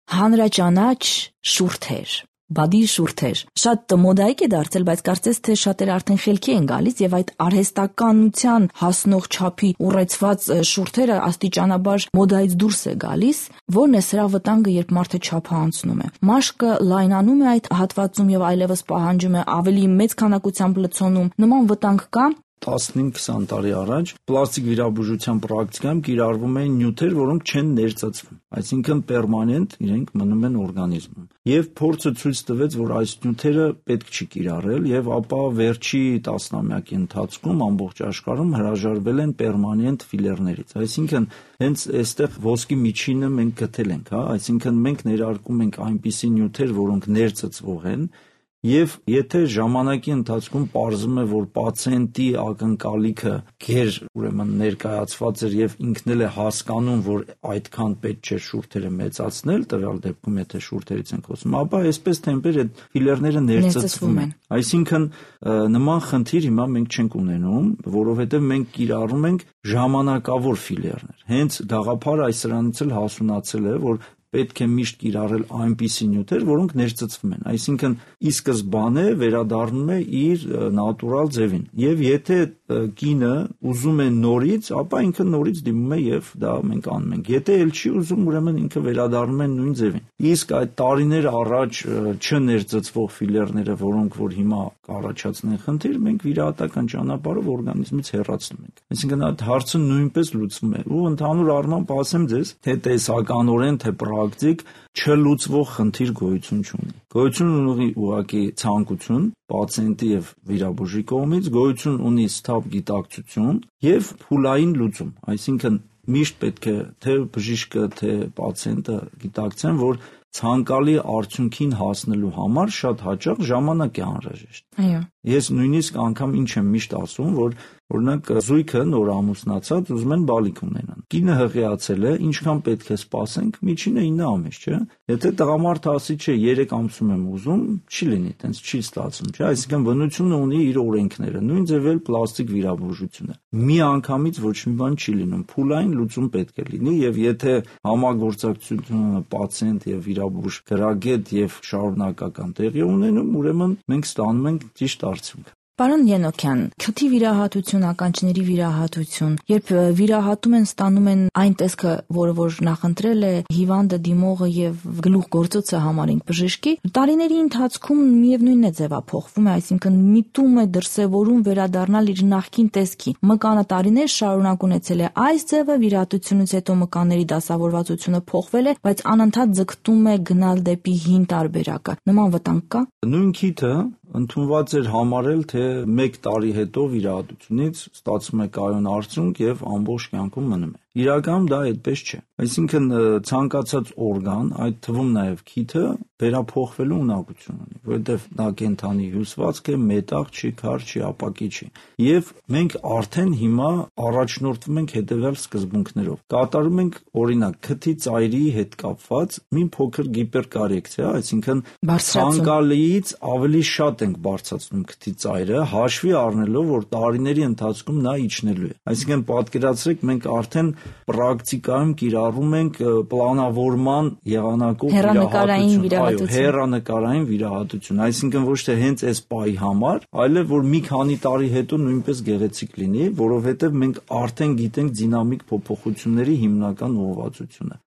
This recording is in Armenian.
հանրաճանաչ շուրթեր, բադի շուրթեր, շատ մոդայիկ է դարձել, բայց կարծես թե շատերը արդեն խելքի են գալիս եւ այդ արհեստականության հասնող չափի ուռեցված շուրթերը աստիճանաբար մոդայից դուրս է գալիս, որն է սրա վտանգը, երբ մարդը չափը անցնում է։ Մաշկը լայնանում է այդ հատվածում եւ այլևս պահանջում է ավելի մեծ քանակությամբ լցոնում, նման վտանգ կա։ 15-20 տարի առաջ պլաստիկ վիրաբուժության պրակտիկայում կիրառվում են նյութեր, որոնք չեն ներծծվում, այսինքն պերմանենտ իրենք մնում են օրգանիզմում։ Եվ փորձը ցույց տվեց, որ այս նյութերը պետք չի կիրառել, եւ ապա վերջի տասնամյակի ընթացքում ամբողջ աշխարհում հրաժարվել են պերմանենտ ֆիլերներից։ Այսինքն հենց այստեղ ոսկի միջինը մենք գտել ենք, այսինքն մենք ներարկում ենք այնպիսի նյութեր, որոնք ներծծվող են։ Եվ եթե ժամանակի ընթացքում պարզվում է, որ պացիենտի ակնկալիքը գեր ուրեմն ներկայացված էր եւ ինքն էլ է հասկանում, որ այդքան պետք չէ շուրթերը մեծացնել, տվյալ դեպքում եթե շուրթերից ենք խոսում, ապա այսպես թեմպեր այդ ֆիլերները ներծծվում են։ Այսինքն նման խնդիր հիմա մենք չենք ունենում, որովհետեւ մենք կիրառում ենք ժամանակավոր ֆիլերներ։ Հենց գաղափարը այս սրանից էլ հասունացել է, որ պետք է միշտ կիրառել այնպիսի նյութեր, որոնք ներծծվում են, այսինքն ի սկզբանե վերադառնում է իր նատուրալ ձևին։ Եվ եթե կինը ուզում է նորից, ապա ինքը նորից դիմում է եւ դա մենք անում ենք։ Եթե էլ չի ուզում, ուրեմն ինքը վերադառնում է նույն ձևին։ Իսկ այդ տարիներ առաջ չներծծվող ֆիլերները, որոնք որ հիմա կառաջացնեն խնդիր, մենք վիրահատական ճանապարհով օրգանիզմից հեռացնում ենք։ Այսինքն այդ հարցը նույնպես լուծվում է։ Ու ընդհանուր առմամբ ասեմ ձեզ, թե տեսականորեն, թե պրակտիկ չլուծվող խնդիր գոյություն չունի։ Գոյություն ունի ուղղակի ցանկություն պացիենտի եւ վիրաբուժի կողմից, գոյություն ունի սթափ գիտակցություն եւ փուլային լուծում։ Այսինքն միշտ պետք է թե բժիշկը, թե պացիենտը գիտակցեն, որ ցանկալի արդյունքին հասնելու համար շատ հաճախ ժամանակ է անհրաժեշտ։ Այո։ Ես նույնիսկ անգամ ինչ եմ միշտ ասում, որ օրինակ զույգը նոր ամուսնացած ուզում են բալիկ ունենան։ Կինը հղիացել է, ինչքան պետք է սպասենք, միջինը 9 ամիս, չէ՞։ Եթե տղամարդը ասի, չէ, 3 ամսում եմ ուզում, չի լինի, տենց չի ստացվում, չէ՞։ Այսինքն բնությունը ունի իր օրենքները, նույն ձև էլ պլաստիկ վիրաբուժությունը։ Մի անգամից ոչ մի բան չի լինում, փուլային լուծում պետք է լինի, եւ եթե համագործակցությունը պացիենտ եւ վիրաբույժ գրագետ եւ շարունակական տեղի ունենում, ուրեմն մենք ստանում ենք ճիշտ արդյունք։ Պարոն Ենոքյան, քթի վիրահատություն, ականջների վիրահատություն, երբ վիրահատում են, ստանում են այն տեսքը, որը որ նախընտրել է հիվանդը, դիմողը եւ գլուխգործոցը համարենք բժշկի, տարիների ընթացքում միևնույնն է ձևափոխվում է, այսինքն միտում է դրսևորում վերադառնալ իր նախկին տեսքի։ Մկանը տարիներ շարունակ ունեցել է այս ձևը, վիրահատությունից հետո մկանների դասավորվածությունը փոխվել է, բայց անընդհատ ձգտում է գնալ դեպի հին տարբերակը։ Նման վտանգ կա։ Նույն քիթը ընդունված էր համարել, թե 1 տարի հետո վիրահատությունից ստացվում է կայուն արդյունք եւ ամբողջ կյանքում մնում է։ Իրականում դա այդպես չէ։ Այսինքն ցանկացած օրգան, այդ թվում նաեւ քիթը, վերափոխվելու ունակություն ունի, որովհետեւ նա կենթանի հյուսվածք է, մետաղ չի, քար չի, ապակի չի։ Եվ մենք արդեն հիմա առաջնորդվում ենք հետեւյալ սկզբունքներով։ Կատարում ենք օրինակ քթի ծայրի հետ կապված մի փոքր գիպերկարեկցիա, այսինքն ցանկալիից ավելի շատ ենք բարձրացնում քթի ծայրը, հաշվի առնելով, որ տարիների ընթացքում նա իջնելու է։ Այսինքն պատկերացրեք, մենք արդեն պրակտիկայում կիրառում ենք պլանավորման եղանակով վիրահատություն, հեռանկարային վիրահատություն, այսինքն ոչ թե հենց այս պահի համար, այլև որ մի քանի տարի հետո նույնպես գեղեցիկ լինի, որովհետև մենք արդեն գիտենք դինամիկ փոփոխությունների հիմնական ուղղվածությունը։